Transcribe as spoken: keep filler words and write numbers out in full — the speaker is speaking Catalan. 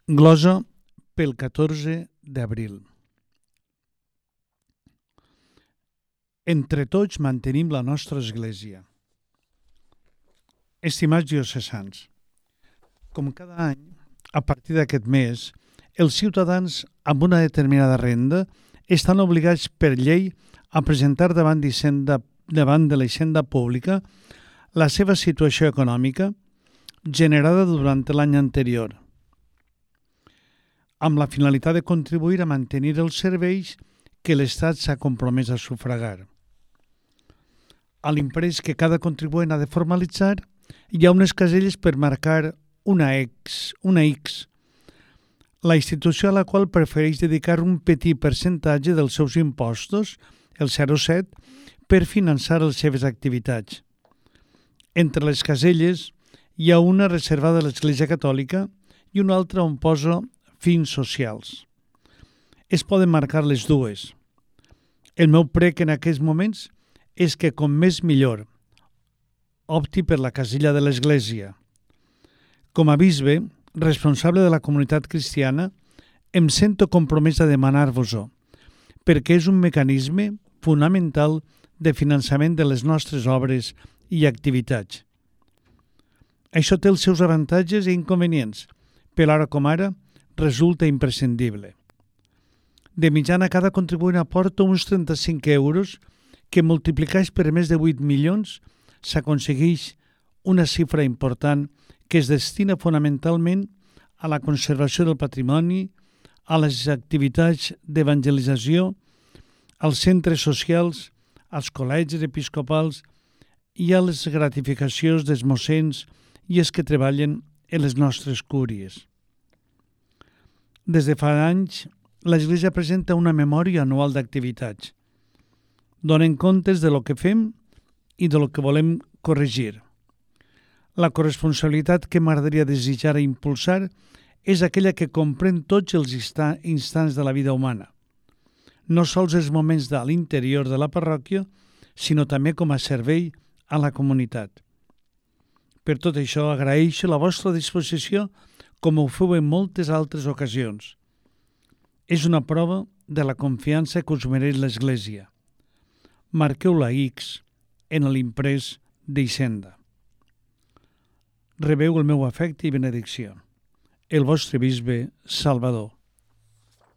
Glosa pel catorze d'abril. Entre tots mantenim la nostra església. Estimats diocesans, com cada any, a partir d'aquest mes, els ciutadans amb una determinada renda estan obligats per llei a presentar davant d'Hisenda, davant de la Hisenda Pública la seva situació econòmica generada durant l'any anterior, amb la finalitat de contribuir a mantenir els serveis que l'Estat s'ha compromès a sufragar. A l'imprès que cada contribuent ha de formalitzar, hi ha unes caselles per marcar una X, una X, la institució a la qual prefereix dedicar un petit percentatge dels seus impostos, el zero coma set, per finançar les seves activitats. Entre les caselles hi ha una reservada a l'Església Catòlica i una altra on posa fins socials. Es poden marcar les dues. El meu prec en aquests moments és que, com més millor, opti per la casella de l'Església. Com a bisbe, responsable de la comunitat cristiana, em sento compromès a demanar-vos-ho, perquè és un mecanisme fonamental de finançament de les nostres obres i activitats. Això té els seus avantatges i inconvenients, però ara com ara resulta imprescindible. De mitjana, cada contribuent aporta uns trenta-cinc euros que, multiplicats per més de vuit milions, s'aconsegueix una xifra important que es destina fonamentalment a la conservació del patrimoni, a les activitats d'evangelització, als centres socials, als col·legis episcopals i a les gratificacions dels mossens i els que treballen en les nostres cúries. Des de fa anys, l'Església presenta una memòria anual d'activitats. Donen comptes de lo que fem i de lo que volem corregir. La corresponsabilitat que m'agradaria desitjar i impulsar és aquella que comprèn tots els instants de la vida humana, no sols els moments de l'interior de la parròquia, sinó també com a servei a la comunitat. Per tot això, agraeixo la vostra disposició com ho feu en moltes altres ocasions. És una prova de la confiança que us mereix l'Església. Marqueu la X en l'imprès d'Hisenda. Rebeu el meu afecte i benedicció. El vostre bisbe Salvador.